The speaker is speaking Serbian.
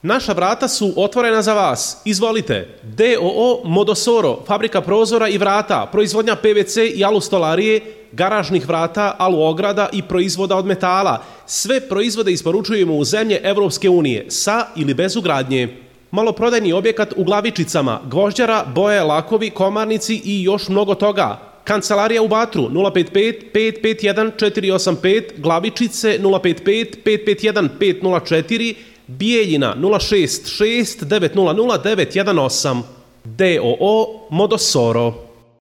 Naša vrata su otvorena za vas. Izvolite. DOO Modosoro, fabrika prozora i vrata, proizvodnja PVC i alustolarije, garažnih vrata, aluograda i proizvoda od metala. Sve proizvode isporučujemo u zemlje Evropske unije, sa ili bez ugradnje. Maloprodajni objekat u Glavičicama, gvožđara, boje, lakovi, komarnici i još mnogo toga. Kancelarija u Batru 055 551 485, Glavičice 055 551 504, Bijeljina 066 900 918. DOO Modosoro.